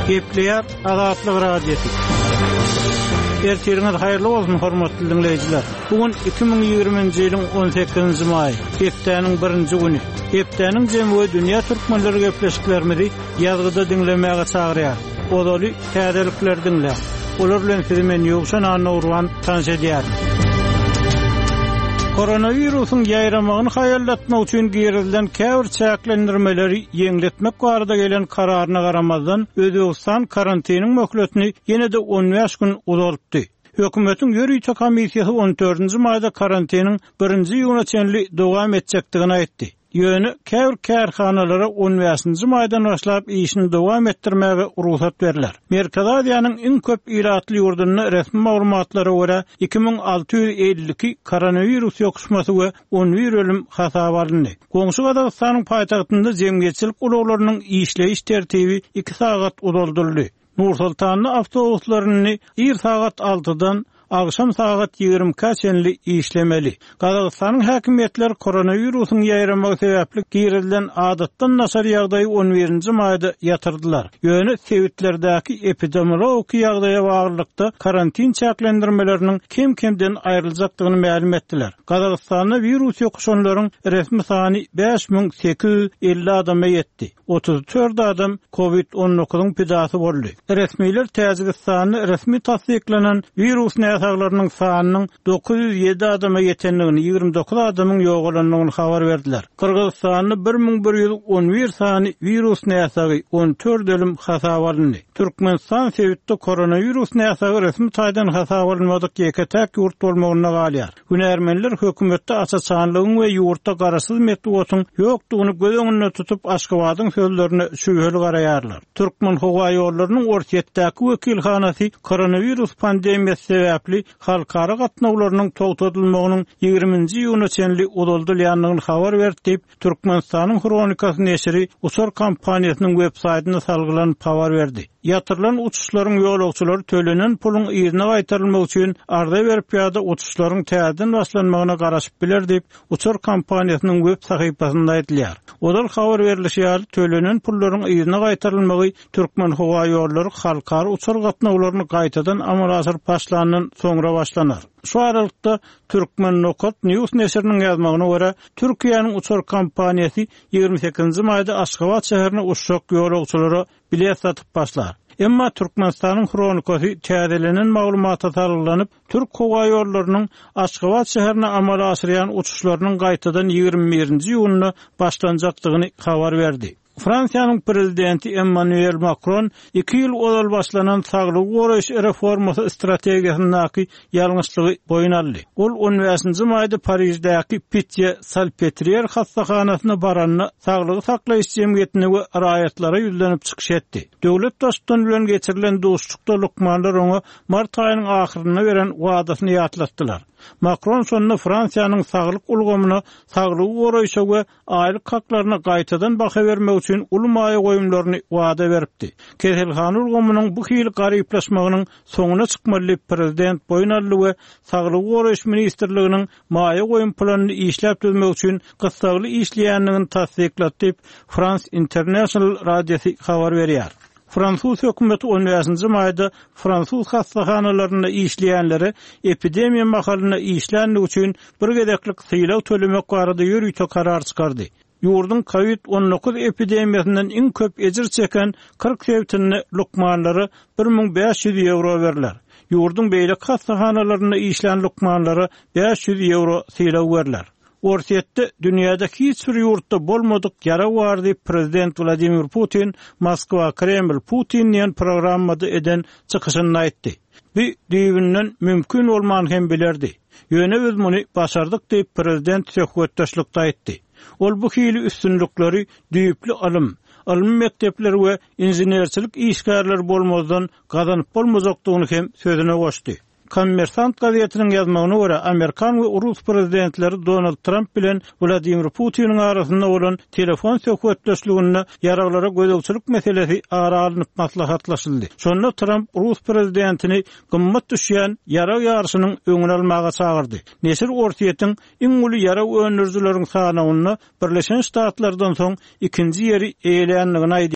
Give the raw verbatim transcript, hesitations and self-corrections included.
Gepleýär Azatlyk Radiosy. Ertiriňiz haýyrly bolsun hormatly dinleýjiler. Bu gün iki müň ýigriminji ýylyň on sekizinji maýy, hepdäniň birinji güni. Hepdäniň jemi we dünýä türkmenleri gepleşiklerimizi ýazgyda diňlemäge çagyrýar. Ozaly täzelikleri diňläň. Olar bilen sizi men Ýowşan Annagurban tanyş edýärin. Koronawirusyň ýaýramagyny haýallatmak üçin girizilen käbir çäklendirmeleri ýeňletmek barada gelen kararyna garamazdan, Özbegistan karantiniň möhletini ýene-de on bäş gün uzaltdy. Hökümetiň ýörite komissiýasy on dördünji maýda karantiniň birinji iýuna çenli dowam etjekdigini aýtdy. Ýöne käbir kärhanalara on bäşinji maýdan başlap işini dowam etdirmäge rugsat berler. Merkezi Aziýanyň iň köp ilatly ýurdunda resmi maglumatlara görä iki müň alty ýüz elli iki koronawirus ýokuşmasy we on bir ölüm hasaba alyndy. Goňşy Gazagystanyň paýtagtynda jemgyýetçilik ulaglarynyň işleýiş tertibi iki sagat uzaldyldy. Nur-Sultanda awtobuslaryny ir sagat altydan akşam sagat ýigrimi ikä çenli işlemeli. Gazagystanyň häkimiýetleri koronawirusyň ýaýramagy sebäpli girizilen adatdan daşary ýagdaýy on birinji maýda ýatyrdylar. Ýöne sebitlerdäki epidemiologik ýagdaýa baglylykda karantin çäklendirmeleriniň kem-kemden aýryljakdygyny mälim etdiler. Gazagystanda wirus ýokuşanlaryň resmi sany bäş müň sekiz ýüz elli adama ýetdi. Otuz dört adam kovid on dokuzyň pidasy boldy. Resmiler Täjigistanda resmi tasdiklanan wirus näsaglarynyň sanynyň dokuz ýüz ýedi adama ýetendigini, ýigrimi dokuz adamyň ýogalandygyny habar berdiler. Gyrgyzystanda bir müň bir ýüz on bir sany wirus näsagy on dört ölüm hasaba alyndy. Türkmenistan sebitde koronawirus näsagy resmi taýdan hasaba alynmadyk ýeke-täk ýurt bolmagyna galýar. Hünärmenler hökümetde açaçanlygyň we ýurtda garaşsyz metbugatyň ýokdugyny göz öňünde tutup Aşgabadyň sözlerine şübheli garaýarlar. Türkmen howa ýollarynyň Orsýetdäki wekilhanasy koronawirus pandemiýasy sebäpli halkara gatnawlarynyň togtadylmagynyň ýigriminji iýuna çenli uzaldylýandygyny habar berdi diýip, Türkmenistanyň Hronikasy neşiri uçar kompaniýasynyň web saýtyna salgylanyp habar berdi. Ýatyrylan uçuşlaryň ýolagçylary tölenen puluň yzyna gaýtarylmagy üçin arza berip ýa-da uçuşlaryň täzeden başlanmagyna garaşyp biler diýip, uçar kompaniýasynyň web sahypasynda aýdylýar. Ozal habar berilişi ýaly tölenen pullaryň yzyna gaýtarylmagy Türkmen howa ýollary halkara uçar gatnawlaryny gaýtadan amala aşyryp başlandan soňra başlanar. Şu aralykda Türkmen Nokat News neşiriniň ýazmagyna görä, Türkiýäniň uçar kompaniýasy ýigrimi sekizinji maýda Aşgabat şäherine uçjak ýolagçylara bilet satyp başlar. Emma Türkmenistanyň Hronikasy täzelenen maglumata salgylanyp, Türk howa ýollarynyň Aşgabat şäherine amala aşyrýan uçuşlarynyň gaýtadan ýigrimi birinji iýunda başlanjakdygyny habar berdi. Fransiýanyň prezidenti Emmanuel Macron iki ýyl ozal başlanan saglygy goraýyş reformasy strategiýasyndaky ýalňyşlygy boýun aldy. Ol on bäşinji maýda Pariždäki Pitié-Salpêtrière hassahanasyna baranda saglygy saklaýyş jemgyýetine we raýatlara ýüzlenip çykyş etdi. Döwlet baştutany bilen geçirilen duşuşykda lukmanlar oňa mart aýynyň ahyrynda beren wadasyny ýatlatdylar. Macron sonunda Fransiýanyň saglyk ulgamyna, saglygy goraýşa we aýlyk haklaryna gaýtadan baha bermek üçin uly maýa goýumlaryny wada beripdi. Keselhana ulgamynyň bu hili garyplaşmagynyň soňuna çykmaly diýip prezident boýun aldy we Saglygy goraýyş ministrliginiň maýa goýum planyny işläp düzmek üçin gyssagly işleýändigini tasdiklady diýip France International radiosy habar berýär. Fransuz hökümeti on bäşinji maýda Fransuz hastahanalarynda işleýänlere epidemiýa mahalynda işlänligi üçin bir gezeklik sylag tölemek barada ýörite karar çykardy. Ýurduň kovid on dokuz epidemiýasyndan iň köp ejir çeken kyrk sebitinde lukmanlara bir müň bäş ýüz ýewro berler. Ýurduň beýleki hastahanalarynda işlän lukmanlara bäş ýüz ýewro sylag berler. Orsýetde dünýäde hiç bir ýurtda bolmadyk ýarag bar diýip prezident Wladimir Putin Moskwa Kreml Putin diýen programmada eden çykyşynda aýtdy. Bu düýbünden mümkin bolman hem bilerdi. Ýöne biz muny başardyk diýip prezident söhbetdeşlikde aýtdy. Ol bu hili üstünlikleri düýpli ylym, ylmy mekdepler we inženerçilik işgärleri bolmazdan gazanyp bolmajakdygyny hem sözüne goşdy. Kommersant gazetiniň ýazmagyna görä, Amerikan we Rus prezidentleri Donald Trump bilen Wladimir Putiniň arasynda bolan telefon söhbetdeşliginde ýaraglara gözegçilik meselesi ara alnyp maslahatlaşyldy. Şonda Trump Rus prezidentini gymmat düşýän ýarag ýaryşynyň öňüni almaga çagyrdy. Neşir Orsýetiň iň uly ýarag öndürijileriň sanawynda Birleşen Ştatlardan soň ikinji ýeri eýeländigini aýdýar.